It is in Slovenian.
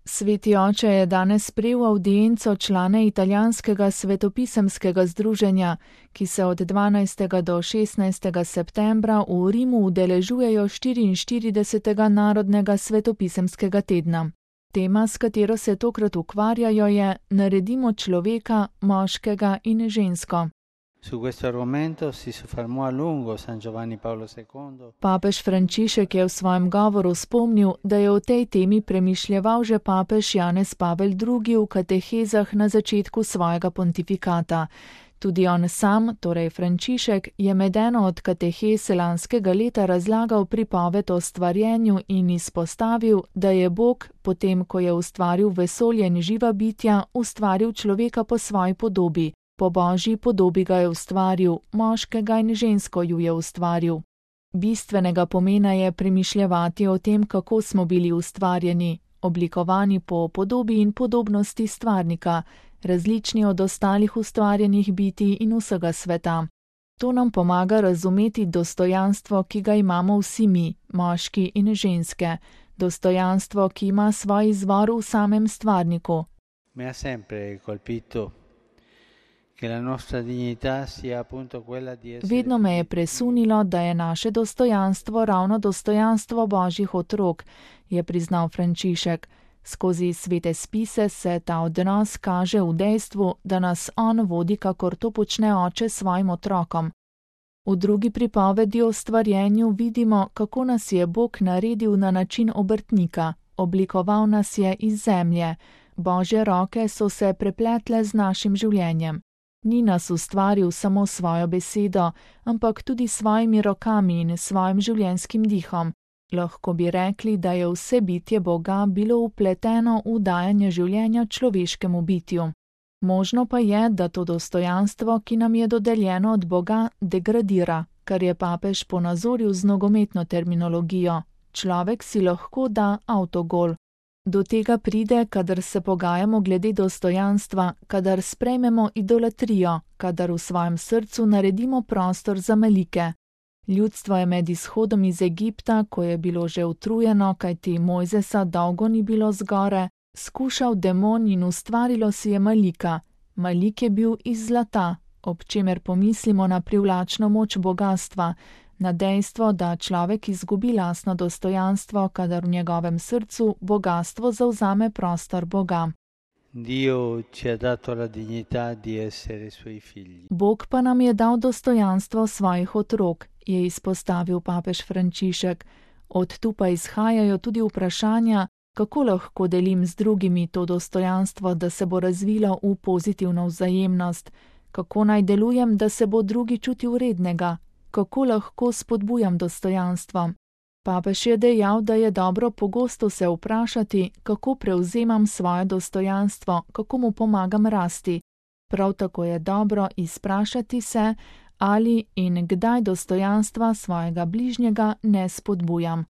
Sveti oče je danes sprejel avdienco člane italijanskega svetopisemskega združenja, ki se od 12. do 16. septembra v Rimu udeležujejo 44. narodnega svetopisemskega tedna. Tema, s katero se tokrat ukvarjajo, je Naredimo človeka, moškega in žensko. Su questo argomento si soffermò a lungo San Giovanni Paolo II. Papež Frančišek je v svojem govoru spomnil, da je o tej temi premišljeval že papež Janez Pavel II. V katehezah na začetku svojega pontifikata. Tudi on sam, torej Frančišek, je med eno od katehez lanskega leta razlagal pripoved o stvarjenju in izpostavil, da je Bog, potem ko je ustvaril vesolje in živa bitja, ustvaril človeka po svoji podobi. Po Božji podobi ga je ustvaril, moškega in žensko ju je ustvaril. Bistvenega pomena je premišljevati o tem, kako smo bili ustvarjeni, oblikovani po podobi in podobnosti stvarnika, različni od ostalih ustvarjenih bitij in vsega sveta. To nam pomaga razumeti dostojanstvo, ki ga imamo vsi mi, moški in ženske, dostojanstvo, ki ima svoj izvor v samem stvarniku. Mi ha sempre colpito. Vedno me je presunilo, da je naše dostojanstvo ravno dostojanstvo Božjih otrok, je priznal Frančišek. Skozi svete spise se ta odnos kaže v dejstvu, da nas on vodi, kakor to počne oče svojim otrokom. V drugi pripovedi o stvarjenju vidimo, kako nas je Bog naredil na način obrtnika, oblikoval nas je iz zemlje. Božje roke so se prepletle z našim življenjem. Ni nas ustvaril samo svojo besedo, ampak tudi svojimi rokami in svojim življenjskim dihom. Lahko bi rekli, da je vse bitje Boga bilo vpleteno v dajanje življenja človeškemu bitju. Možno pa je, da to dostojanstvo, ki nam je dodeljeno od Boga, degradira, kar je papež ponazoril z nogometno terminologijo. Človek si lahko da avtogol. Do tega pride, kadar se pogajamo glede dostojanstva, kadar sprejmemo idolatrijo, kadar v svojem srcu naredimo prostor za melike. Ljudstvo je med izhodom iz Egipta, ko je bilo že utrujeno, kajti Mojzesa dolgo ni bilo zgore, skušal demon in ustvarilo si je malika. Malik je bil iz zlata, ob čemer pomislimo na privlačno moč bogastva, na dejstvo, da človek izgubi lastno dostojanstvo, kadar v njegovem srcu bogastvo zavzame prostor Boga. Bog pa nam je dal dostojanstvo svojih otrok, je izpostavil papež Frančišek. Od tu pa izhajajo tudi vprašanja, kako lahko delim z drugimi to dostojanstvo, da se bo razvilo v pozitivno vzajemnost, kako naj delujem, da se bo drugi čutil vrednega, kako lahko spodbujam dostojanstvo. Papež je dejal, da je dobro pogosto se vprašati, kako prevzemam svoje dostojanstvo, kako mu pomagam rasti. Prav tako je dobro izprašati se, ali in kdaj dostojanstva svojega bližnjega ne spodbujam.